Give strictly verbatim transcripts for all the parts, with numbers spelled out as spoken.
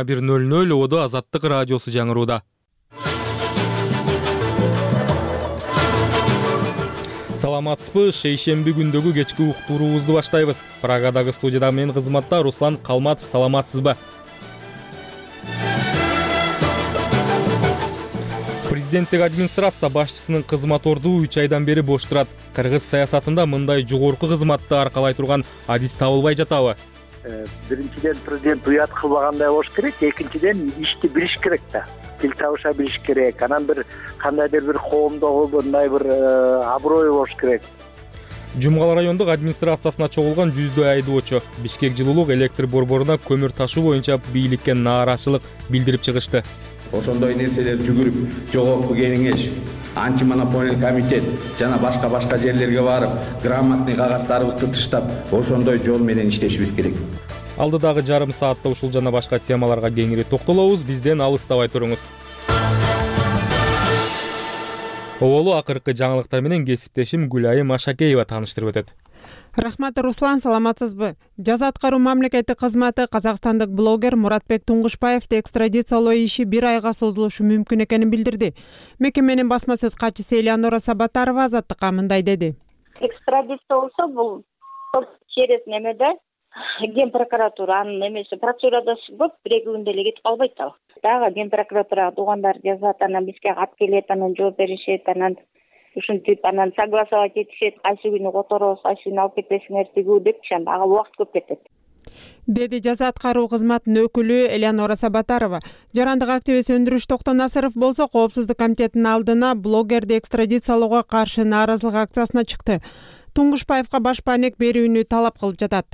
бир ноль ноль Ободо Азаттык радиосу жаңырууда. Саламатсызбы? Шейшемби күндөгү кечки уктуруубузду баштайбыз. Прагадагы студияда мен кызматта Руслан Калматов. Саламатсызбы? Президенттик администрация башчысынын кызмат орду үч айдан бери бош турат. Кыргыз саясатында мындай жогорку кызматты аркалай турган адис табылбай жатабы? Биринчиден, президент уят кылбагандай болуш керек, экинчиден ишти билиш керек да. Тил табыша билиш керек. Анан бир кандайдыр бир коомдогу мындай бир аброю болуш керек. Жумгал райондук администрациясына чогулган жүздөй айдоочу Бишкек жылуулук электр борборуна көмүр ташуу боюнча бийликке нааразычылык билдирип чыгышты. Ошондой нерселер жүгүрүп, жогорку кеңеш, антимонополиялык комитет жана башка башка жерлерге барып, грамотный кагаздарыбызды тыштап, ошондой жол менен иштешибиз керек. Алдыдагы жарым саатта ушул жана башка темаларга кеңири токтолобуз. Бизден алыстабай туруңуз. Оболу акыркы жаңылыктар менен кесиптешим Гүлайым Ашакеева тааныштырып өтөт. Рахмат, Руслан, саламатсызбы? Жаза аткаруу мамлекеттик кызматы казакстандык блогер Муратбек Туңгушбаевди экстрадициялоо иши бир айга созулушу мүмкүн экенин билдирди. Мекеменин басма сөз катчысы Элеонора Сабатарова Азаттыкка мындай деди. Экстрадиция болсо бул через немеде Ген прокуратура анын эмеси процедурада болуп бир эки күндө эле кетип калбайт ал. Дагы Ген прокуратурага туугандар жазат, анан бизге кат келет, анан жооп беришет, анан ушинтип анан согласовать этишет, кайсы күнү которобуз, кайсы күнү алып кетесиңер тигүү депчи, ага убакыт көп кетет, деди жаза аткаруу кызматынын өкүлү Элеонора Сабатарова. Жарандык активист Өндүрүш Токтонасыров болсо Коопсуздук комитетинин алдына блогерди экстрадициялоого каршы нааразылык акциясына чыкты. Туңгушбаевга баш баанек берүүнү талап кылып жатат.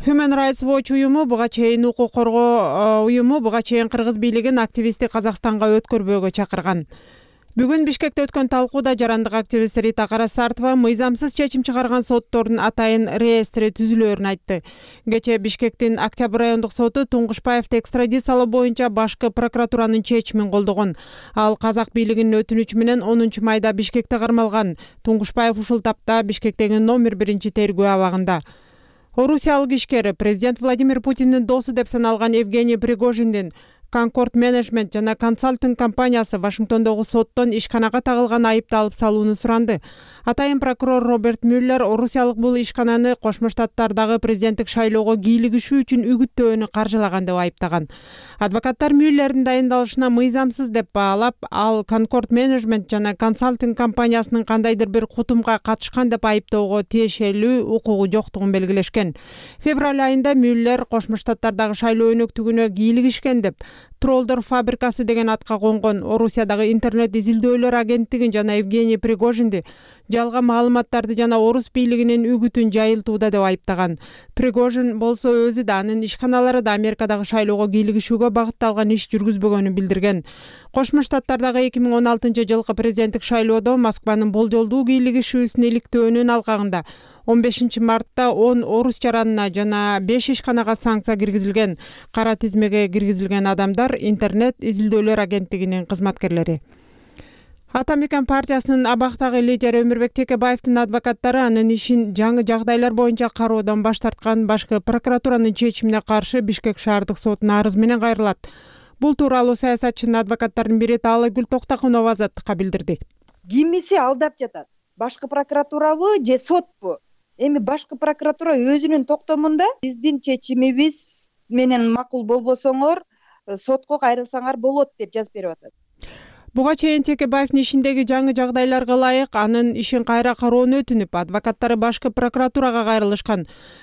Human Rights Watch уюму буга чейин укук коргоо уюму буга чейин кыргыз бийлигин активистти Казакстанга өткөрбөөгө чакырган. Бүгүн Бишкекте өткөн талкууда жарандык активист Рита Карасартова мыйзамсыз чечим чыгарган соттордун атайын реестри түзүлөөрүн айтты. Кечээ Бишкектин Октябрь райондук соту Туңгушбаевди экстрадициялоо боюнча башкы прокуратуранын чечимин колдогон. Ал казак бийлигинин өтүнүчү менен онунчу майда Бишкекте кармалган. Туңгушбаев ушул тапта Бишкектеги номер биринчи тергөө абагында. Орусиялык ишкер президент Владимир Путиндин досу деп саналган Евгений Пригожиндин Concord Management жана консалтинг компаниясы Вашингтондогу соттон ишканага тагылган айыпты алып салууну суранды. Атайын прокурор Роберт Мюллер орусиялык бул ишкананы Кошмо Штаттардагы президенттик шайлоого кийлигишүү үчүн үгүттөөнү каржылаган деп айыптаган. Адвокаттар Мюллердин дайындалышына мыйзамсыз деп баалап, ал Concord Management жана консалтинг компаниясынын кандайдыр бир кутумга катышкан деп айыптоого тиешелүү укугу жоктугун белгилешкен. Февраль айында Мюллер Кошмо Штаттардагы шайлоо өнөктүгүнө кийлигишкен деп Тролдор фабрикасы деген атка конгон Орусиядагы интернет изилдөөлөр агенттигин жана Евгений Пригожинди жалган маалыматтарды жана орус бийлигинин үгүтүн жайылтууда деп айыптаган. Пригожин болсо өзү да анын ишканалары да Америкадагы шайлоого кийлигишүүгө багытталган иш жүргүзбөгөнүн билдирген. Кошмо Штаттардагы эки миң он алтынчы жылкы президенттик шайлоодо Москванын болжолдуу кийлигишүүсүн иликтөөнүн алкагында он бешинчи мартта он орус жаранына жана беш ишканага санкция киргизилген. Кара тизмеге киргизилген адамдар интернет изилдөөлөр агенттигинин кызматкерлери. Ата Мекен партиясынын абактагы лидери Өмүрбек Текебаевдин адвокаттары анын ишин жаңы жагдайлар боюнча кароодон баш тарткан башкы прокуратуранын чечимине каршы Бишкек шаардык сотуна арыз менен кайрылат. Бул тууралуу саясатчынын адвокаттарынын бири Таалайгүл Токтокунова Азаттыкка билдирди. Кимиси алдап жатат? Башкы прокуратурабы же сотпу? Эми башкы прокуратура өзүнүн токтомунда биздин чечимибиз менен макул болбосоңор сотко кайрылсаңар болот деп жазып берип атат. Буга чейин Текебаевдин ишиндеги жаңы жагдайларга ылайык анын ишин кайра кароону өтүнүп, адвокаттары башкы прокуратурага кайрылышкан.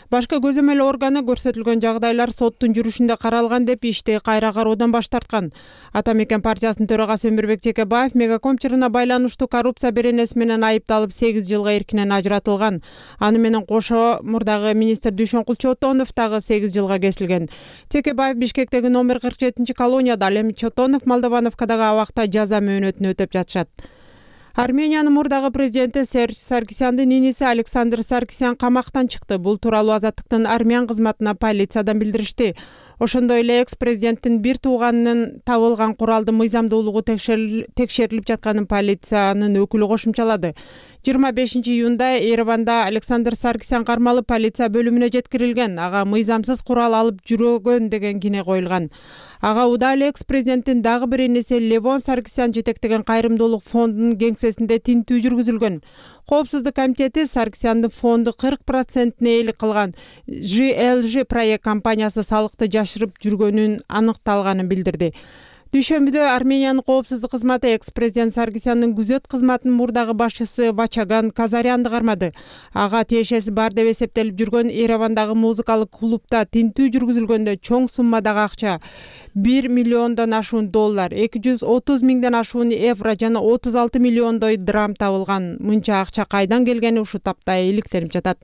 Башкы көзөмөл органы көрсөтүлгөн жагдайлар соттун жүрүшүндө каралган деп ишти кайра кароодон баш тарткан. Ата Мекен партиясынын төрагасы Өмүрбек Текебаев Мегаком чырына байланыштуу коррупция беренеси менен айыпталып сегиз жылга эркинен ажыратылган. Аны менен кошо мурдагы министр Дүйшөнкул Чотонов дагы сегиз жылга кесилген. Текебаев Бишкектеги номер кырк жетинчи колонияда, ал эми Чотонов Молдовановкадагы абакта жаза мөөнөтүн өтөп жатышат. Армениянын мурдагы президенти Серж Саркисяндын иниси Александр Саркисян камактан чыкты. Бул тууралуу Азаттыктын армян кызматына полициядан билдиришти. Ошондой эле экс-президенттин бир тууганынын табылган куралдын мыйзамдуулугу текшерилип жатканын полициянын өкүлү кошумчалады. жыйырма бешинчи июнда Ереванда Александр Саркисян кармалып полиция бөлүмүнө жеткирилген. Ага мыйзамсыз курал алып жүргөн деген кине коюлган. Ага учурда эле экс-президенттин дагы бир энеси Левон Саркисян жетектеген кайрымдуулук фондунун кеңсесинде тинтүү жүргүзүлгөн. Коопсуздук комитети Саркисяндын фонду кырк процентине ээлик кылган Ж Л Ж проект компаниясы салыкты жашырып жүргөнүн аныкталганын билдирди. Дүйшөмбүдө Армениянын коопсуздук кызматы экс-президент Саркисяндын күзөт кызматынын мурдагы башчысы Вачаган Казарянды кармады. Ага тиешеси бар деп эсептелип жүргөн Еревандагы музыкалык клубда тинтүү жүргүзүлгөндө чоң суммадагы акча бир миллиондон ашуун доллар, эки жүз отуз миңден ашуун евро жана отуз алты миллиондой драм табылган. Мынча акча кайдан келгени ушул тапта иликтенип жатат.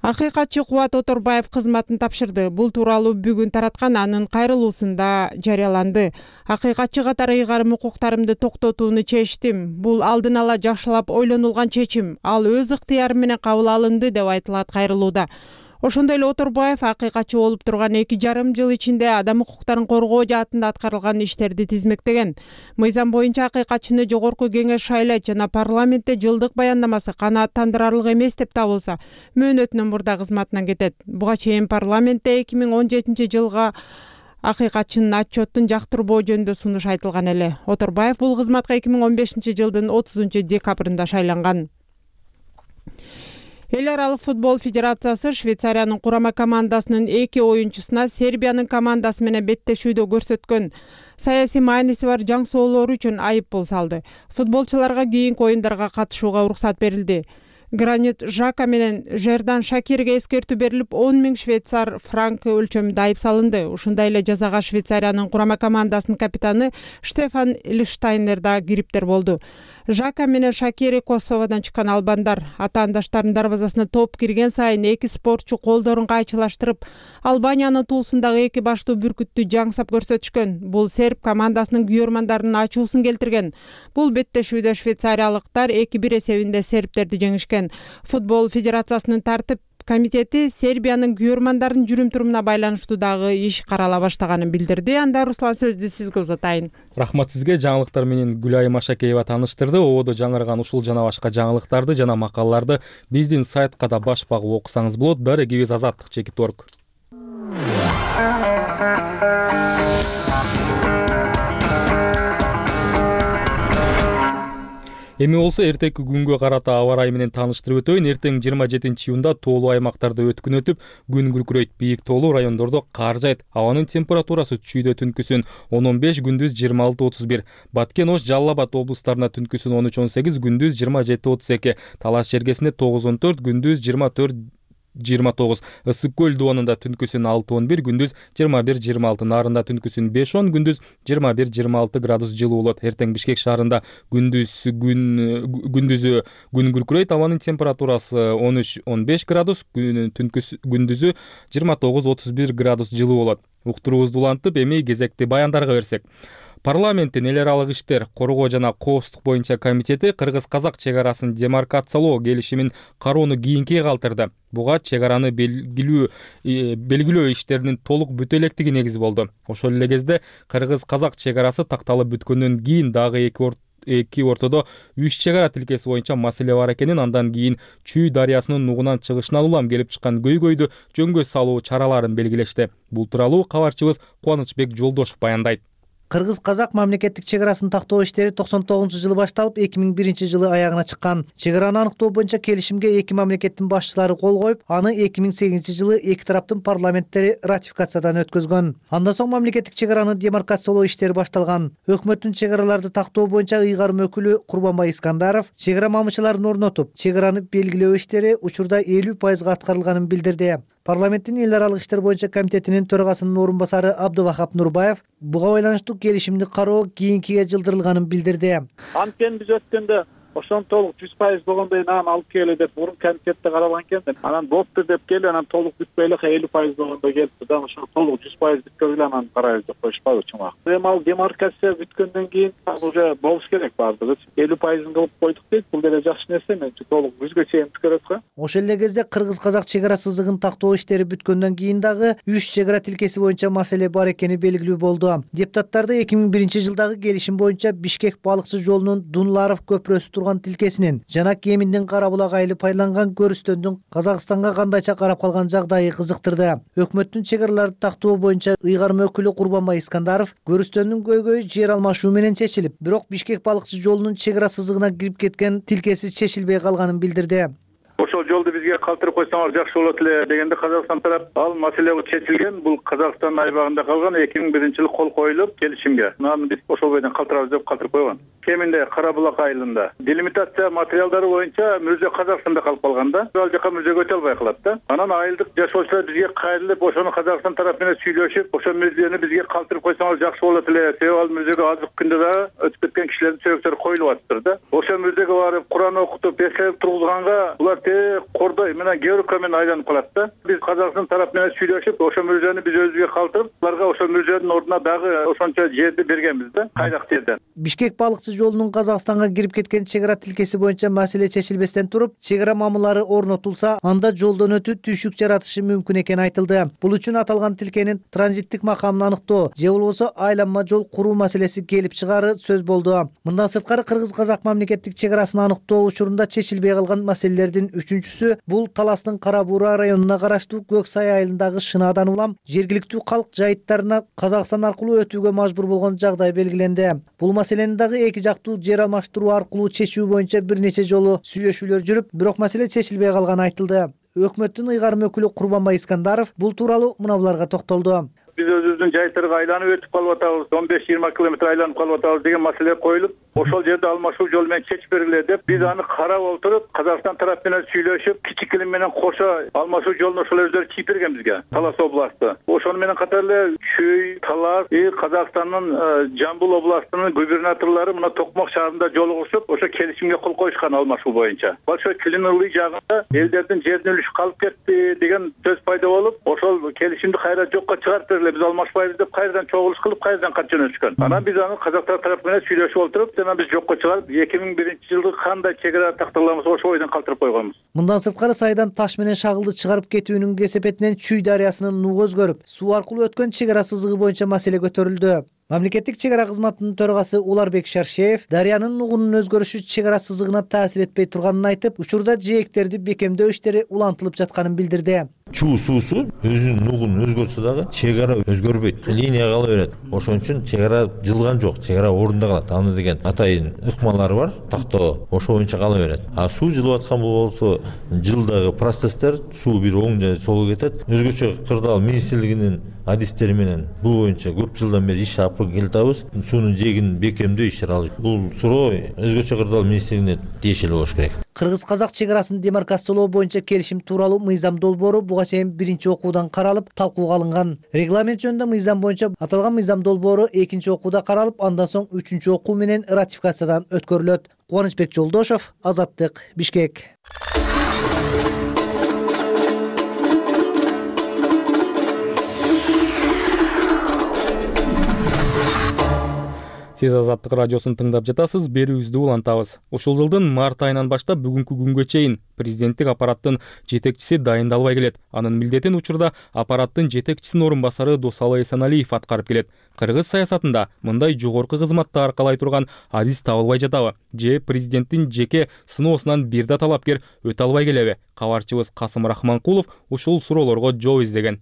Акыйкатчы Кубат Оторбаев кызматын тапшырды. Бул тууралуу бүгүн тараткан анын кайрылуусунда жарыяланды. Акыйкатчы катары ыйгарым укуктарымды токтотууну чечтим. Бул алдын ала жакшылап ойлонулган чечим. Ал өз ыктыяры менен кабыл алынды деп айтылат кайрылууда. Ошондой эле Оторбаев акыйкатчы болуп турган эки жарым жыл ичинде адам укуктарын коргоо жаатында аткарылган иштерди тизмектеген. Мыйзам боюнча акыйкатчыны жогорку кеңеш шайлайт жана парламентте жылдык баяндамасы канааттандырарлык эмес деп табылса, мөөнөтүнөн мурда кызматынан кетет. Буга чейин парламентте эки миң он жетинчи жылга акыйкатчынын отчеттун жактырбоо жөнүндө сунуш айтылган эле. Оторбаев бул кызматка эки миң он бешинчи жылдын отузунчу декабрында шайланган. Эл аралык футбол федерациясы Швейцариянын курама командасынын эки оюнчусуна Сербиянын командасы менен беттешүүдө көрсөткөн саясий мааниси бар жаң соолору үчүн айыппул салды. Футболчуларга кийинки оюндарга катышууга уруксат берилди. Гранит Жака менен Жердан Шакирге эскертүү берилип, он миң швейцар франк өлчөмүндө айып салынды. Ушундай эле жазага Швейцариянын курама командасынын капитаны Штефан Лихштайнер да кириптер болду. Жака менен Шакири Косоводон чыккан албандар. Атаандаштарынын дарбазасына топ кирген сайын эки спортчу колдорун кайчылаштырып, Албаниянын туусундагы эки баштуу бүркүттү жаңсап көрсөтүшкөн. Бул серб командасынын күйөрмандарынын ачуусун келтирген. Бул беттешүүдө швейцариялыктар эки бир эсебинде сербтерди жеңишкен. Футбол федерациясынын тартип комитети Сербиянын күйөрмандарын жүрүм-турумуна байланыштуу дагы иш карала баштаганын билдирди. Анда Руслан сөздү сизге узатайын. Рахмат сизге. Жаңылыктар менен Гүлайым Ашакеева тааныштырды. Ободо жаңырган ушул жана башка жаңылыктарды жана макалаларды биздин сайтка да баш багып окусаңыз болот. Дарегибиз Азаттык чекит орг. Эми болсо эртеки күнгө карата аба ырайы менен тааныштырып өтөйүн. Эртең жыйырма жетинчи июнда тоолуу аймактарда өткүн өтүп, күн күркүрөйт. Бийик тоолуу райондордо кар жайт. Абанын температурасы түшүүдө түнкүсүн он он беш, күндүз жыйырма алты отуз бир. Баткен, Ош, Жалал Абад облустарына түнкүсүн он үч он сегиз, күндүз жыйырма жети отуз эки. Талас Жергесинде тогуз он төрт, күндүз жыйырма төрт жыйырма тогуз. Ысык көл дубанында түнкүсүн алты он бир, күндүз жыйырма бир жыйырма алты. Нарында түнкүсүн беш он, күндүз жыйырма бир жыйырма алты градус жылуу болот. Эртең Бишкек шаарында күндүз күн күндүзү күн күркүрөйт. Абанын температурасы он үч он беш градус, түнкүс күндүзү жыйырма тогуз отуз бир градус жылуу болот. Уктуруубузду улантып, эми кезекти баяндарга берсек. Парламенттин эл аралык иштер, коргоо жана коопсуздук боюнча комитети кыргыз-казак чек арасын демаркациялоо келишимин кароону кийинкиге калтырды. Буга чек араны белгилүү белгилөө иштеринин толук бүтө электиги негиз болду. Ошол эле кезде кыргыз-казак чек арасы такталып бүткөндөн кийин дагы эки орт эки ортодо үч чек ара тилкеси боюнча маселе бар экенин, андан кийин Чүй дарыясынын нугунан чыгышынан улам келип чыккан көйгөйдү жөнгө салуу чараларын белгилешти. Бул тууралуу кабарчыбыз Кубанычбек Жолдошов баяндайт. Кыргыз-казак мамлекеттик чек арасын тактоо иштери токсон тогузунчу жылы башталып, эки миң биринчи жылы аягына чыккан. Чек араны аныктоо боюнча келишимге эки мамлекеттин башчылары кол коюп, аны эки миң сегизинчи жылы эки тараптын парламенттери ратификациядан өткөзгөн. Андан соң мамлекеттик чек араны демаркациялоо иштери башталган. Өкмөттүн чек араларды тактоо боюнча ыйгарым өкүлү Курбанбай Искандаров чек ара мамычыларын орнотуп, чек араны белгилөө иштери учурда элүү пайызга аткарылганын билдирди. Парламенттин эл аралык иштер боюнча комитетинин төрагасынын орун басары Абдывахап Нурбаев буга байланыштуу келишимди кароо кийинкиге жылдырылганын билдирди. Анткени биз өткөндө ошону толук жүз пайыз болгондон кийин анан алып келе деп мурун комитетте каралган экен. Анан болуптур деп келип, анан толук бүтпөй эле элүү пайыз болгондо келипти да. Ошо толук жүз пайыз бүткөргүлө анан карайбыз деп коюшпадыбы чумак. Эми ал демаркация бүткөндөн кийин уже болуш керек баардыгы. элүү пайызын кылып койдук дейт. Бул деле жакшы нерсе. Менчи толук жүзгө чейин бүткөрөт го. Ошол эле кезде кыргыз-казак чек ара сызыгын тактоо иштери бүткөндөн кийин дагы үч чек ара тилкеси боюнча маселе бар экени белгилүү болду. Депутаттарды эки миң биринчи жылдагы келишим боюнча Бишкек балыкчы жолунун Дунларов көпүрөсү турган тилкесинин жана Кеминдин Кара-Булак айылы пайланган көрүстөндүн Казакстанга кандайча карап калган жагдайы кызыктырды. Өкмөттүн чек араларды тактоо боюнча ыйгарма өкүлү Курбанбай Искандаров көрүстөндүн көйгөйү жер алмашуу менен чечилип, бирок Бишкек балыкчы жолунун чек ара сызыгына кирип кеткен тилкеси чечилбей калганын билдирди. Ошол жолду бизге калтырып койсоңор жакшы болот эле дегенде Казакстан тарап ал маселе чечилген. Бул Казакстан айбагында калган эки миң биринчи жылы кол коюлуп келишимге. Анан биз ошол бойдон калтырабыз деп калтырып койгон. Кеминде Кара-Булак айылында делимитация материалдары боюнча мүрзө Казакстанда калып калган да. Ал жака мүрзөгө өтө албай калат да. Анан айылдык жашоочулар бизге кайрылып, ошону Казакстан тарап менен сүйлөшүп, ошол мүрзөнү бизге калтырып койсоңор жакшы болот эле. Себеби ал мүрзөгө азыркы күндө дагы өтүп кеткен кишилердин сөөгүттөрү коюлуп атыптыр да. Ошол мүрзөгө барып Куран окутуп, эслеп тургузганга булар кордой менен георка менен айланып калат да. Биз Казакстан тарап менен сүйлөшүп, ошол мүрзөнү биз өзүбүзгө калтырып, аларга ошол мүрзөнүн ордуна дагы ошончо жерди бергенбиз да, кайдак жерден. Бишкек балыкчы жолунун Казакстанга кирип кеткен чек ара тилкеси боюнча маселе чечилбестен туруп, чек ара мамылары орнотулса, анда жолдон өтүү түйшүк жаратышы мүмкүн экени айтылды. Бул үчүн аталган тилкенин транзиттик макамын аныктоо же болбосо айланма жол куруу маселеси келип чыгаары сөз болду. Мындан сырткары кыргыз-казак мамлекеттик чек арасын аныктоо учурунда чечилбей калган маселелердин үчүнчүсү бул Таластын Кара-Буура районуна караштуу Көк Сай айылындагы шынаадан улам жергиликтүү калк жайыттарына Казакстан аркылуу өтүүгө мажбур болгон жагдай белгиленди. Бул маселени дагы эки жактуу жер алмаштыруу аркылуу чечүү боюнча бир нече жолу сүйлөшүүлөр жүрүп, бирок маселе чечилбей калганы айтылды. Өкмөттүн ыйгарым өкүлү Курбанбай Искандаров бул тууралуу мына буларга токтолду. Биз өзүбүздүн жайыттарга айланып өтүп калып атабыз, он беш жыйырма километр айланып калып атабыз деген маселе коюлуп, ошол жерде алмашуу жол менен чечип бергиле деп биз аны карап отуруп, Казакстан тарап менен сүйлөшүп, Кичи Килим менен кошо алмашуу жолун ошол өздөрү чийип берген бизге, Талас областы. Ошону менен катар эле Чүй, Талас, Казакстандын Жамбыл областынын губернаторлору мына Токмок шаарында жолугушуп, ошо келишимге кол коюшкан алмашуу боюнча. Большой Клинылый жагында элдердин жеринин үлүшү калып кетти деген сөз пайда болуп, ошол келишимди кайра жокко чыгарып биз алмашпайбыз деп кайрадан чогулуш кылып, кайрадан кат жөнөтүшкөн. Анан биз аны казактар тарап менен сүйлөшүп отуруп, жана биз жокко чыгарып, эки миң биринчи жылы кандай чек ара такталамыз ошол бойдон калтырып койгонбуз. Мындан сырткары сайдан таш менен шагылды чыгарып кетүүнүн кесепетинен Чүй дарыясынын нугу өзгөрүп, суу аркылуу өткөн чек ара сызыгы боюнча маселе көтөрүлдү. Мамлекеттик чек ара кызматынын төрагасы Уларбек Шаршеев дарыянын нугунун өзгөрүшү чек ара сызыгына таасир этпей турганын айтып, учурда жээктерди бекемдөө иштери улантылып жатканын билдирди. Чуу суусу өзүнүн нугун өзгөртсө дагы чек ара өзгөрбөйт, линия кала берет. Ошон үчүн чек ара жылган жок, чек ара ордунда калат. Аны деген атайын ыкмалары бар, тактоо ошо боюнча кала берет. А суу жылып аткан болсо жылдагы процесстер суу бир оң же солго кетет. Өзгөчө кырдаал министрлигинин адистери менен бул боюнча көп жылдан бери иш алып келатабыз. Суунун жээгин бекемдөө иштери алып. Бул суроо өзгөчө кырдаал министрлигине тиешелүү болуш керек. Кыргыз-казак чек арасын демаркациялоо боюнча келишим тууралуу мыйзам долбоору буга чейин биринчи окуудан каралып, талкууга алынган. Регламент жөнүндө мыйзам боюнча аталган мыйзам долбоору экинчи окууда каралып, андан соң үчүнчү окуу менен ратификациядан өткөрүлөт. Кубанычбек Жолдошов, Азаттык, Бишкек. Сиз Азаттык радиосун тыңдап жатасыз, берүүбүздү улантабыз. Ушул жылдын март айынан баштап бүгүнкү күнгө чейин президенттик аппараттын жетекчиси дайындалбай келет. Анын милдетин учурда аппараттын жетекчисинин орун басары Досалы Эсеналиев аткарып келет. Кыргыз саясатында мындай жогорку кызматты аркалай турган адис табылбай жатабы? Же президенттин жеке сыноосунан бир да талапкер өтө албай келеби? Кабарчыбыз Касым Рахманкулов ушул суроолорго жооп издеген.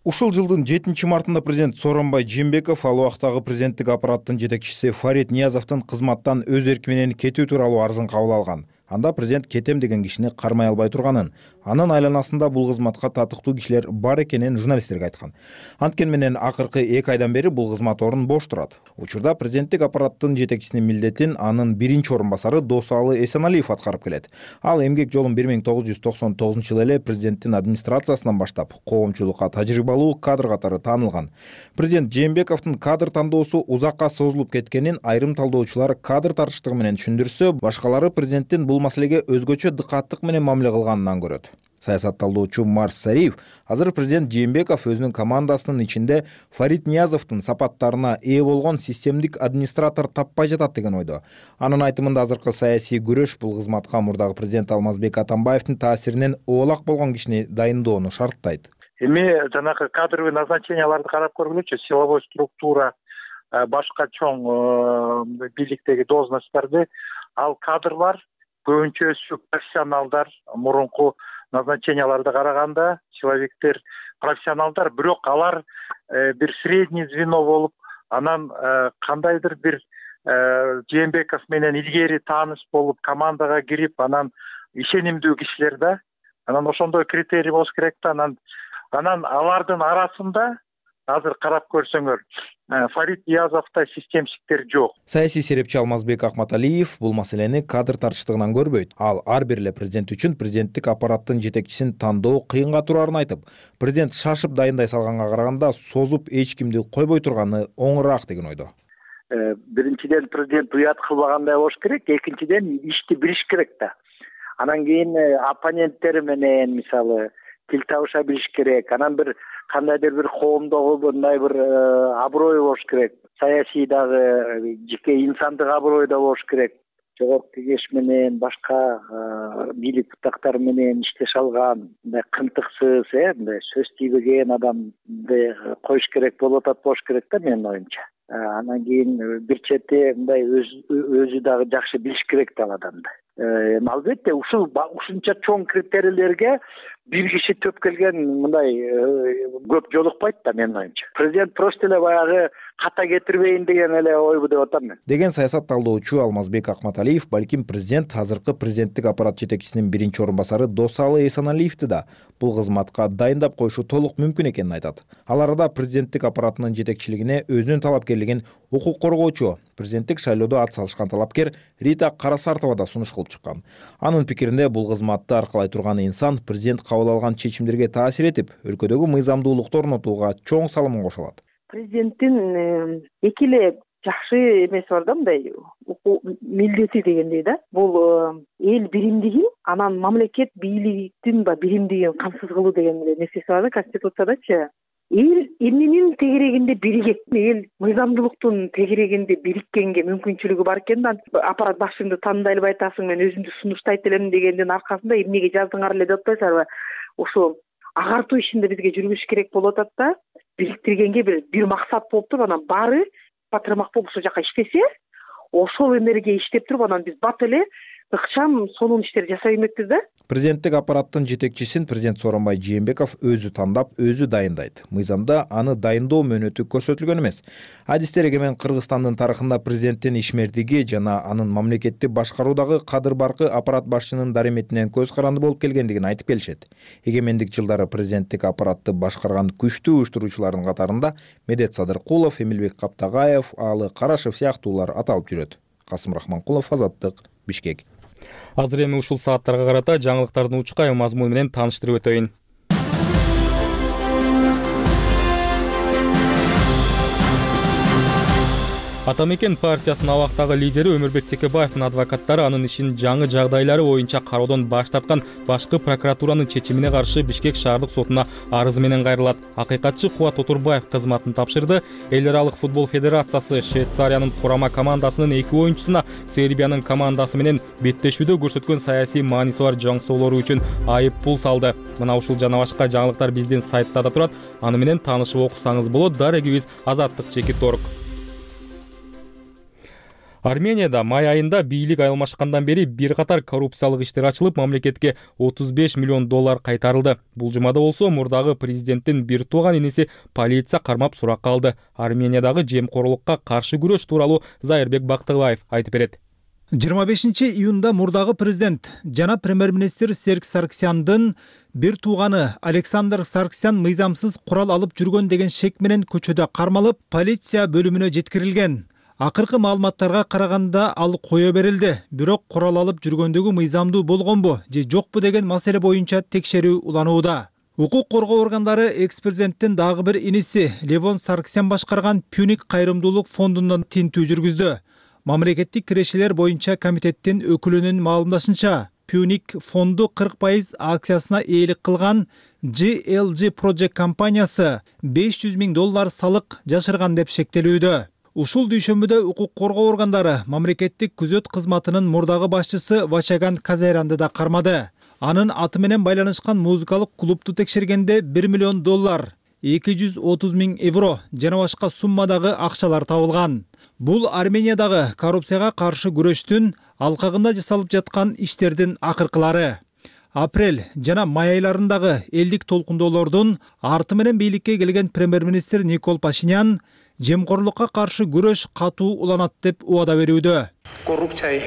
Ушул жылдын жетинчи мартында президент Сооронбай Жээнбеков ал убактагы президенттик аппараттын жетекчиси Фарид Ниязовдун кызматтан өз эрки менен кетүү тууралуу арызын кабыл алган. Анда президент кетем деген кишини кармай албай турганын, Анын айланасында бул кызматка татыктуу кишилер бар экенин журналисттерге айткан. Анткени менен акыркы эки айдан бери бул кызмат орун бош турат. Учурда президенттик аппараттын жетекчисинин милдетин анын биринчи орун басары Досалы Эсеналиев аткарып келет. Ал эмгек жолун бир миң тогуз жүз токсон тогузунчу жылы эле президенттин администрациясынан баштап коомчулукка тажрыйбалуу кадр катары таанылган. Президент Жээнбековдун кадр тандоосу узакка созулуп кеткенин айрым талдоочулар кадр тартыштыгы менен түшүндүрсө, башкалары президенттин бул маселеге өзгөчө дыкаттык менен мамиле кылганынан көрөт. Саясат талдоочу Марс Сариев азыр президент Жээнбеков өзүнүн командасынын ичинде Фарит Ниязовдун сапаттарына ээ болгон системдик администратор таппай жатат деген ойдо. Анын айтымында азыркы саясий күрөш бул кызматка мурдагы президент Алмазбек Атамбаевдин таасиринен оолак болгон кишини дайындоону шарттайт. Эми жанагы кадровый назначенияларды карап көргүлөчү, силовой структура, башка чоң бийликтеги должностторду ал кадрлар көбүнчөсү профессионалдар, мурунку назначенияларды караганда человектер профессионалдар, бирок алар бир средний звено болуп, анан кандайдыр бир Жээнбеков менен илгери тааныш болуп, командага кирип, анан ишенимдүү кишилер да. Анан ошондой критерий болуш керек да. Анан анан алардын арасында азыр карап көрсөңөр, Фарит Ниязовдо системщиктер жок. Саясий серепчи Алмазбек Акматалиев бул маселени кадр тартыштыгынан көрбөйт. Ал ар бир эле президент үчүн президенттик аппараттын жетекчисин тандоо кыйынга турарын айтып, президент шашып дайындай салганга караганда созуп эч кимди койбой турганы оңураак деген ойдо. Биринчиден президент уят кылбагандай болуш керек, экинчиден ишти билиш керек да. Анан кийин оппоненттери менен мисалы тил табыша билиш керек. Анан бир кандайдыр бир коомдогу мындай бир аброй болуш керек. Саясий дагы жеке инсандык аброй да болуш керек. Жогорку кеңеш менен башка бийлик бутактары менен иштеше алган, мындай кынтыксыз, э, мындай сөз тийбеген адамды коюш керек болуп атат болуш керек да менин оюмча. Анан кийин бир чети мындай өзү дагы жакшы билиш керек да адамды. Албетте ушул ушунча чоң критерийлерге бир киши төп келген мындай көп жолукпайт да менин оюмча. Президент просто эле баягы ката кетирбейин деген эле ойбу деп атам мен. Деген саясат талдоочу Алмазбек Акматалиев балким президент азыркы президенттик аппарат жетекчисинин биринчи орун басары Досалы Эсеналиевди да бул кызматка дайындап коюшу толук мүмкүн экенин айтат. Ал арада президенттик аппаратынын жетекчилигине өзүнүн талапкерлигин укук коргоочу, президенттик шайлоодо ат салышкан талапкер Рита Карасартова да сунуш кылып чыккан. Анын пикиринде бул кызматты аркалай турган инсан президент кабыл алган чечимдерге таасир этип, өлкөдөгү мыйзамдуулукту орнотууга чоң салымын кошо алат. Президенттин эки эле жакшы эмеси бар да, мындай милдети дегендей да. Бул эл биримдигин, анан мамлекет бийликтин ба биримдигин камсыз кылуу деген эле нерсеси бар да Конституциядачы. Эл эмненин тегерегинде биригет, эл мыйзамдуулуктун тегерегинде бириккенге мүмкүнчүлүгү бар экен да. Аппарат башчыңды тааныбай эле айтасың, мен өзүмдү сунуштайт элем дегендин аркасында эмнеге жаздыңар эле деп атпайсыңарбы? Ошо агартуу ишинде бизге жүргүш керек болуп атат да. Бириктиргенге бир бир максат болуп туруп, анан баары батырмак болуп ошол жака иштесе, ошол энергия иштеп туруп, анан биз бат эле ыкчам сонун иштер жасай бермекпиз да. Президенттик аппараттын жетекчисин президент Сооронбай Жээнбеков өзү тандап, өзү дайындайт. Мыйзамда аны дайындоо мөөнөтү көрсөтүлгөн эмес. Адистер эгемен Кыргызстандын тарыхында президенттин ишмердиги жана анын мамлекетти башкаруудагы кадыр баркы аппарат башчынын дареметинен көз каранды болуп келгендигин айтып келишет. Эгемендик жылдары президенттик аппаратты башкарган күчтүү уюштуруучулардын катарында Медет Садыркулов, Эмилбек Каптагаев, Аалы Карашев сыяктуулар аталып жүрөт. Касым Рахманкулов, Азаттык, Бишкек. Азыр эми ушул сааттарга карата жаңылыктардын учкай мазмуну менен тааныштырып өтөйүн. Атамекен партиясынын абактагы лидери Өмүрбек Текебаевдин адвокаттары анын ишин жаңы жагдайлары боюнча кароодон баш тарткан башкы прокуратуранын чечимине каршы Бишкек шаардык сотуна арыз менен кайрылат. Акыйкатчы Кубат Отурбаев кызматын тапшырды. Эл аралык футбол федерациясы Швейцариянын курама командасынын эки оюнчусуна Сербиянын командасы менен беттешүүдө көрсөткөн саясий мааниси бар жоңсоолору үчүн айып пул салды. Мына ушул жана башка жаңылыктар биздин сайтта да турат. Аны менен таанышып окусаңыз болот. Дарегибиз Азаттык Чекит Орг. Арменияда май айында бийлик алмашкандан бери бир катар коррупциялык иштер ачылып, мамлекетке отуз беш миллион доллар кайтарылды. Бул жумада болсо мурдагы президенттин бир тууган иниси полиция кармап суракка алды. Армениядагы жемкорлукка каршы күрөш тууралуу Зайырбек Бактыбаев айтып берет. жыйырма бешинчи июнда мурдагы президент жана премьер-министр Серж Сарксяндын бир тууганы Александр Сарксян мыйзамсыз курал алып жүргөн деген шек менен көчөдө кармалып, полиция бөлүмүнө жеткирилген. Акыркы маалыматтарга караганда ал кое берилди. Бирок курал алып жүргөндөгү мыйзамдуу болгонбу же жокпу деген маселе боюнча текшерүү уланууда. Укук коргоо органдары экс-президенттин дагы бир иниси Левон Сарксян башкарган Пюник кайрымдуулук фондунан тинтүү жүргүздү. Мамлекеттик кирешелер боюнча комитеттин өкүлүнүн маалымдашынча, Пюник фонду кырк пайыз акциясына ээлик кылган джи эл джи Project компаниясы беш жүз миң доллар салык жашырган деп шектелүүдө. Ушул дүйшөмбүдө укук коргоо органдары мамлекеттик күзөт кызматынын мурдагы башчысы Вачаган Казайранды да кармады. Анын аты менен байланышкан музыкалык клубду текшергенде бир миллион доллар, эки жүз отуз миң евро жана башка суммадагы акчалар табылган. Бул Армениядагы коррупцияга каршы күрөштүн алкагында жасалып жаткан иштердин акыркылары. Апрель жана май айларындагы элдик толкундоолордун арты менен бийликке келген премьер-министр Никол Пашинян жемкорлукка каршы күрөш катуу уланат деп убада берүүдө. Коррупция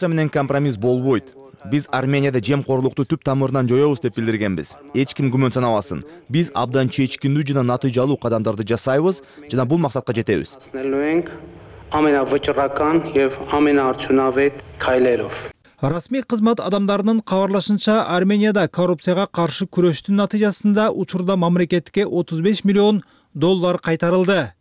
менен компромисс болбойт. Биз Арменияда жемкорлукту түп тамырынан жоёбуз деп билдиргенбиз. Эч ким күмөн санабасын. Биз абдан чечкиндүү жана натыйжалуу кадамдарды жасайбыз жана бул максатка жетебиз. Расмий кызмат адамдарынын кабарлашынча, Арменияда коррупцияга каршы күрөштүн натыйжасында учурда мамлекетке отуз беш миллион доллар кайтарылды.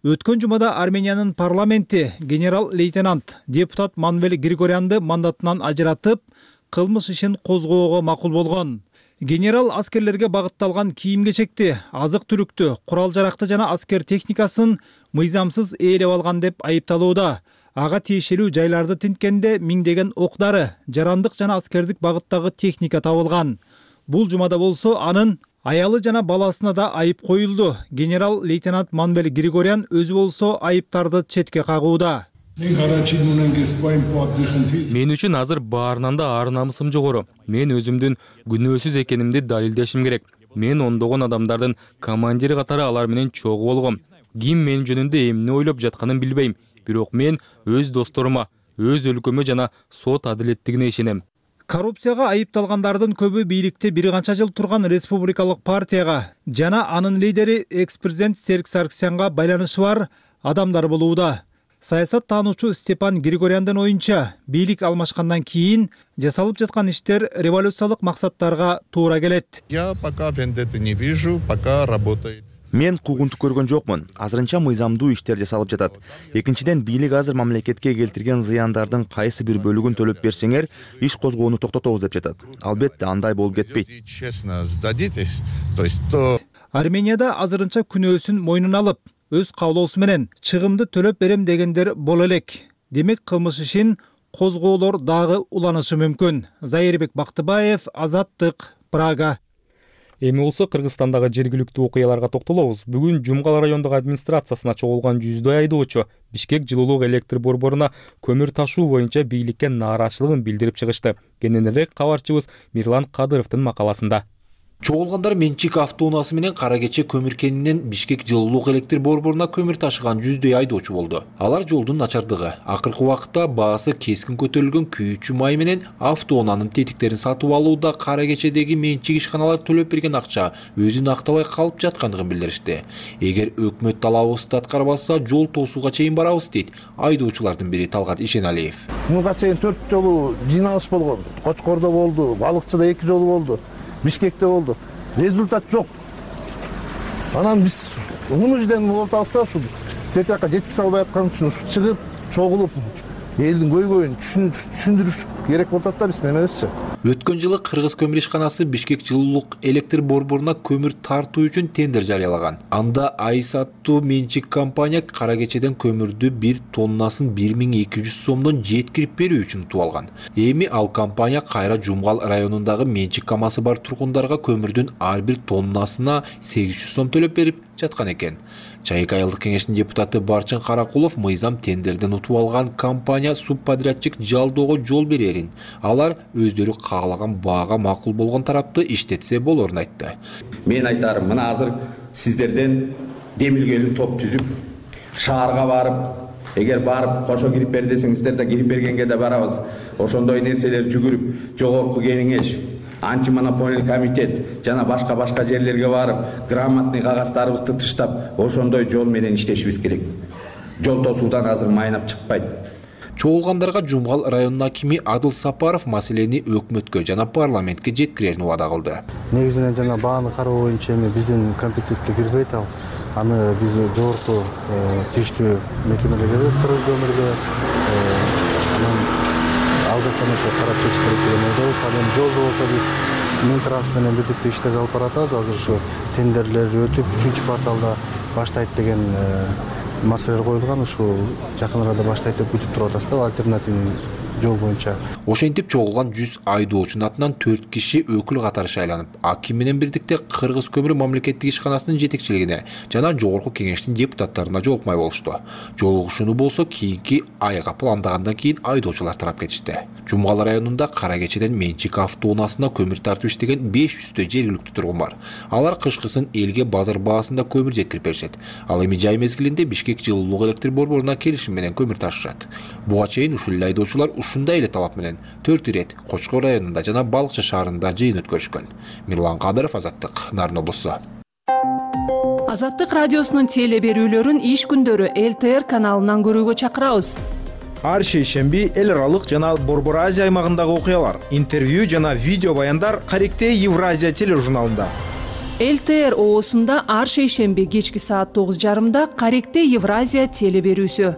Өткөн жумада Армениянын парламенти генерал-лейтенант депутат Манвел Григорянды мандатынан ажыратып, кылмыш ишин козгоого макул болгон. Генерал аскерлерге багытталган кийим-кечекти, азык-түлүктү, курал-жаракты жана аскер техникасын мыйзамсыз ээлеп алган деп айыпталууда. Ага тиешелүү жайларды тинткенде миңдеген ок-дары, жарандык жана аскердик багыттагы техника табылган. Бул жумада болсо анын аялы жана баласына да айып коюлду. Генерал-лейтенант Манвел Григорян өзү болсо айыптарды четке кагууда. Мен үчүн азыр баарынан да ар намысым жогору. Мен өзүмдүн күнөөсүз экенимди далилдешим керек. Мен ондогон адамдардын командири катары алар менен чогуу болгом. Ким мен жөнүндө эмне ойлоп жатканын билбейм. Бирок мен өз досторума, өз өлкөмө жана сот адилеттигине ишенем. Коррупцияга айыпталгандардын көбү бийликте бир канча жыл турган республикалык партияга жана анын лидери экс-президент Серж Сарксянга байланышы бар адамдар болууда. Саясат таануучу Степан Григоряндын оюнча, бийлик алмашкандан кийин жасалып жаткан иштер революциялык максаттарга туура келет. Я пока вендетты не вижу, пока работает. Мен куугунтук көргөн жокмун. Азырынча мыйзамдуу иштер жасалып жатат. Экинчиден, бийлик азыр мамлекетке келтирген зыяндардын кайсы бир бөлүгүн төлөп берсеңер, иш козгоону токтотобуз деп жатат. Албетте, андай болуп кетпейт. Честно сдадитесь, то есть то Арменияда азырынча күнөөсүн мойнуна алып, өз каалоосу менен чыгымды төлөп берем дегендер боло элек. Демек, кылмыш ишин козгоолор дагы уланышы мүмкүн. Зайырбек Бактыбаев, Азаттык, Прага. Эми болсо Кыргызстандагы жергиликтүү окуяларга токтолобуз. Бүгүн Жумгал райондук администрациясына чогулган жүздөй айдоочу Бишкек жылуулук электр борборуна көмүр ташуу боюнча бийликке нааразычылыгын билдирип чыгышты. Кененирээк кабарчыбыз Мирлан Кадыровдун макаласында. Чогулгандар менчик автоунаасы менен кара кече көмүр кенинен Бишкек жылуулук электр борборуна көмүр ташыган жүздөй айдоочу болду. Алар жолдун начардыгы, акыркы убакытта баасы кескин көтөрүлгөн күйүүчү май менен автоунаанын тетиктерин сатып алууда кара кечедеги менчик ишканалар төлөп берген акча өзүн актабай калып жаткандыгын билдиришти. Эгер өкмөт талабыбызды аткарбаса, жол тосууга чейин барабыз дейт айдоочулардын бири Талгат Ишеналиев. Муга чейин төрт жолу жыйналыш болгон. Кочкордо болду, Балыкчыда эки жолу болду. Бишкекте болду. Результат жок. Анан биз муну жерден болтабыз да, ушу тетиакка жеткизе албай аткан үчүн чыгып, чогулуп, элдин көйгөйүн түшүндүрүш керек болуп атат да биздин эмебизчи. Өткөн жылы Кыргыз көмүр ишканасы Бишкек жылуулук электр борборуна көмүр тартуу үчүн тендер жарыялаган. Анда Айс аттуу менчик компания кара кечеден көмүрдү бир тоннасын бир миң эки жүз сомдон жеткирип берүү үчүн утуп алган. Эми ал компания кайра Жумгал районундагы менчик камасы бар тургундарга көмүрдүн ар бир тоннасына сегиз жүз сом төлөп берип жаткан экен. Чайык айылдык кеңештин депутаты Барчын Каракулов мыйзам тендерден утуп алган компания субподрядчик жалдоого жол берерин, алар өздөрү каалаган баага макул болгон тарапты иштетсе болорун айтты. Мен айтарым, мына азыр сиздерден демилгелүү топ түзүп, шаарга барып, эгер барып кошо кирип бер десеңиздер да кирип бергенге да барабыз. Ошондой нерселер жүгүрүп жогорку кеңеш, антимонополиялык комитет жана башка башка жерлерге барып, грамотный кагаздарыбызды тыштап, ошондой жол менен иштешибиз керек. Жол тосуудан азыр майнап чыкпайт. Чогулгандарга Жумгал районунун акими Адыл Сапаров маселени өкмөткө жана парламентке жеткирерин убада кылды. Негизинен жана бааны кароо боюнча эми биздин компетентке кирбейт ал. Аны биз жогорку тийиштүү мекемеге беребиз, кыргыз көмүргө. Анан ал жактан ошо карап чечип берет деген ойдобуз. Ал эми жолду болсо биз Минтранс менен бирдикте иштерди алып баратабыз. Азыр ушу тендерлер өтүп, үчүнчү кварталда баштайт деген маселелер коюлган. Ушул жакын арада баштайт деп күтүп туруп атабыз да, альтернативный жол боюнча. Ошентип чогулган жүз айдоочунун атынан төрт киши өкүл катары шайланып, аким менен бирдикте Кыргыз көмүрү мамлекеттик ишканасынын жетекчилигине жана жогорку кеңештин депутаттарына жолукмай болушту. Жолугушууну болсо кийинки айга пландагандан кийин айдоочулар тарап кетишти. Жумгал районунда Кара Кечеден Менчик автоунаасына көмүр тартып иштеген беш жүздөй жергиликтүү тургун бар. Алар кышкысын элге базар баасында көмүр жеткирип беришет. Ал эми жай мезгилинде Бишкек жылуулук электр борборуна келишим менен көмүр ташышат. Буга чейин ушул эле айдоочулар ушундай эле талап менен төрт ирет Кочкор районунда жана Балыкчы шаарында жыйын өткөрүшкөн. Мирлан Кадыров, Азаттык, Нарын облусу. Азаттык радиосунун теле берүүлөрүн иш күндөрү эл тэ эр каналынан көрүүгө чакырабыз. Ар шейшемби эл аралык жана Борбор Азия аймагындагы окуялар, интервью жана видео баяндар Каректе Евразия тележурналында. эл тэ эр оосунда ар шейшемби кечки саат тогуз жарымда Каректе Евразия теле берүүсү.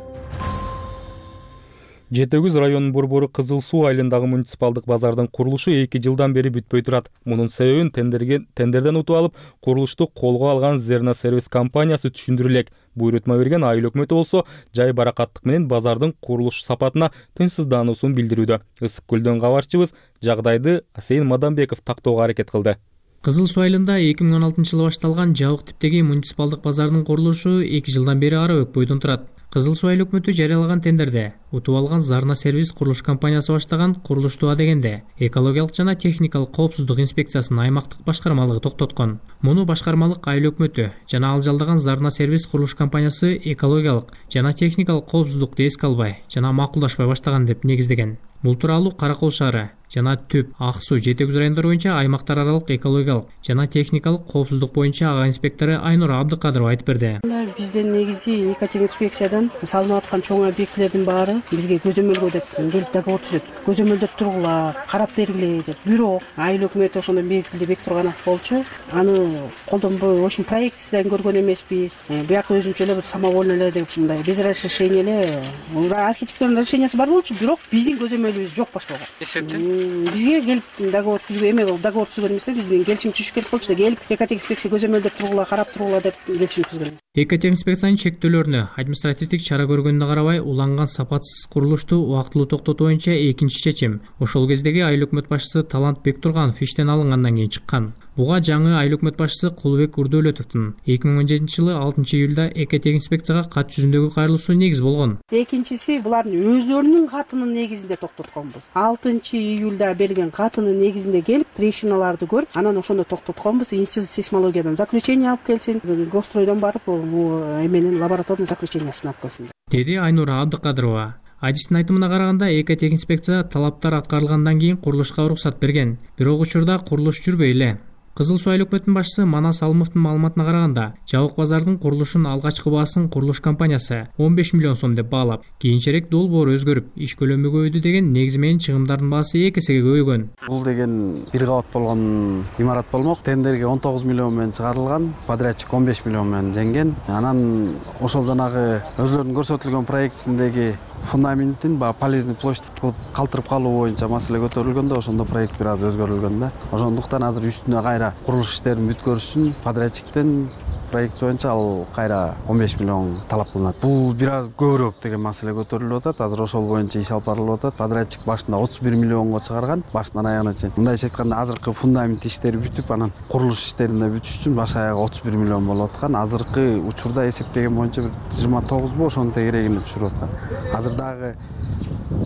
Жети Өгүз районунун борбору Кызыл Суу айылындагы муниципалдык базардын курулушу эки жылдан бери бүтпөй турат. Мунун себебин тендерден утуп алып, курулушту колго алган Зерна сервис компаниясы түшүндүрө элек. Буйрутма берген айыл өкмөтү болсо жай баракаттык менен базардын курулуш сапатына тынчсыздануусун билдирүүдө. Ысык Көлдөн кабарчыбыз жагдайды Асейин Мадамбеков тактоого аракет кылды. Кызыл Суу айылында эки миң он алтынчы жылы башталган жабык типтеги муниципалдык базардын курулушу эки жылдан бери ара өкпөйдөн турат. Кызыл Суу айыл өкмөтү жарыялаган тендерде утуп алган Зарна сервис курулуш компаниясы баштаган курулушту адегенде экологиялык жана техникалык коопсуздук инспекциясынын аймактык башкармалыгы токтоткон. Муну башкармалык айыл өкмөтү жана ал жалдаган Зарна сервис курулуш компаниясы экологиялык жана техникалык коопсуздукту эске албай жана макулдашпай баштаган деп негиздеген. Бул тууралуу Каракол шаары жана Түп, Ак Суу, Жети Өгүз райондору боюнча аймактар аралык экологиялык жана техникалык коопсуздук боюнча ага инспектору Айнура Абдыкадырова айтып берди. Бизден негизи экотехинспекциядан салынып аткан чоң объектилердин баары бизге көзөмөлгө деп келип договор түзөт. Көзөмөлдөп тургула, карап бергиле деп. Бирок айыл өкмөтү ошондой мезгилде бекитип турган болчу. Аны колдонбой, ошон проектисинен көргөн эмеспиз. Бияк өзүнчө эле бир самовольно эле деп мындай без разрешения эле архитектурный решениясы бар болчу, бирок биздин көзөмөлүбүз жок башталган. Эсептен бизге келип договор түзгөн эме договор түзгөн эмес, биз менен келишим түзүш керек болчу да, келип экотехинспекция көзөмөлдөп тургула, карап тургула деп келишим түзгөн. Экотехинспекциянын чектөөлөрүнө, административдик чара көргөнүнө карабай уланган сапатсыз курулушту убактылуу токтотуу боюнча экинчи чечим ошол кездеги айыл өкмөт башчысы Талант Бектурганов иштен алынгандан кийин чыккан. Буга жаңы айыл өкмөт башчысы Кулубек Үрдөлөтовдун эки миң он жетинчи жылы алтынчы июлда экотехинспекцияга кат жүзүндөгү кайрылуусу негиз болгон. Экинчиси булардын өзлөрүнүн катынын негизинде токтотконбуз. алтынчы июлда берген катынын негизинде келип трещиналарды көрүп, анан ошондо токтотконбуз. Институт сейсмологиядан заключение алып келсин, Гостройдон барып эменин лабораторный заключениясын алып келсин деди Айнура Абдыкадырова. Адистин айтымына караганда экотехинспекция талаптар аткарылгандан кийин курулушка уруксат берген. Бирок учурда курулуш жүрбөй эле. Кызыл Суу айыл өкмөтүнүн башчысы Манас Алымовдун маалыматына караганда, жабык базардын курулушунун алгачкы баасын курулуш компаниясы он беш миллион сом деп баалап, кийинчерээк долбоор өзгөрүп, иш көлөмү көбөйдү деген негизи менен чыгымдардын баасы эки эсеге көбөйгөн. Бул деген бир кабат болгон имарат болмок. Тендерге он тогуз миллион менен чыгарылган, подрядчик он беш миллион менен жеңген. Анан ошол жанагы өзлөрүнүн көрсөтүлгөн проектисиндеги фундаментин ба полезный площадь кылып калтырып калуу боюнча маселе көтөрүлгөндө ошондо проект бир аз өзгөрүлгөн да. Ошондуктан азыр үстүнө кайра курулуш иштерин бүткөрүш үчүн подрядчиктен проект боюнча ал кайра он беш миллион талап кылынат. Бул бир аз көбүрөөк деген маселе көтөрүлүп атат. Азыр ошол боюнча иш алып барылып атат. Подрядчик башында отуз бир миллионго чыгарган, башынан аягына чейин. Мындайча айтканда азыркы фундамент иштери бүтүп, анан курулуш иштерин да бүтүш үчүн баш аягы отуз бир миллион болуп аткан. Азыркы учурда эсептеген боюнча бир жыйырма тогузбу ошонун тегерегинде түшүрүп аткан. Азыр дагы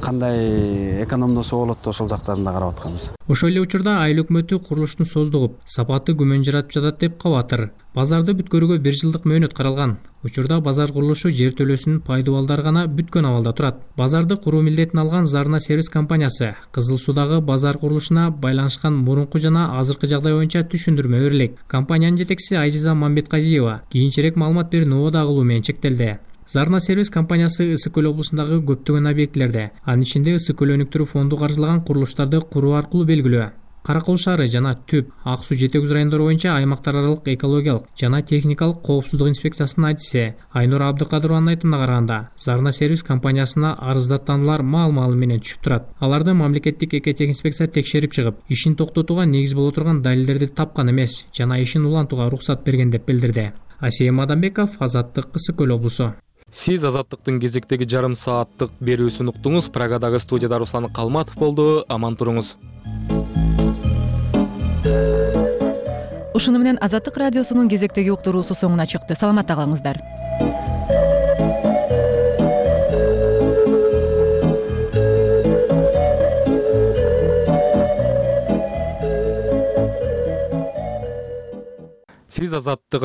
кандай экономдосо болот ошол жактарын да карап атканбыз. Ошол эле учурда айыл өкмөтү курулуштун создугуп, сапаты күмөн жаратып жатат деп кабатыр. Базарды бүткөрүүгө бир жылдык мөөнөт каралган. Учурда базар курулушу жер төлөөсүнүн пайдубалдары гана бүткөн абалда турат. Базарды куруу милдетин алган Зарна сервис компаниясы Кызыл Суудагы базар курулушуна байланышкан мурунку жана азыркы жагдай боюнча түшүндүрмө берилет. Компаниянын жетекчиси Айзиза Мамбетказиева кийинчерээк маалымат берүүнү убада кылуу менен чектелди. Зарна сервис компаниясы Ысык көл облусундагы көптөгөн объектилерде, анын ичинде Ысык көл өнүктүрүү фонду каржылаган курулуштарды куруу аркылуу белгилүү. Каракол шаары жана Түп, Ак Суу Жети Көз райондору боюнча аймактар аралык экологиялык жана техникалык коопсуздук инспекциясынын адиси Айнура Абдыкадырованын айтымына караганда, Зарна сервис компаниясына арыздаттануулар маал-маалы менен түшүп турат. Аларды мамлекеттик экотех инспекция текшерип чыгып, ишин токтотууга негиз боло турган далилдерди тапкан эмес жана ишин улантууга уруксат берген деп билдирди. Асия Мадамбеков, Азаттык, Ысык көл облусу. Сиз Азаттыктын кезектеги жарым сааттык берүүсүн уктуңуз. Прагадагы студияда Руслан Калматов болду. Аман туруңуз. Ушуну менен Азаттык радиосунун кезектеги уктуруусу соңуна чыкты. Саламатта калыңыздар. Сиз Азаттык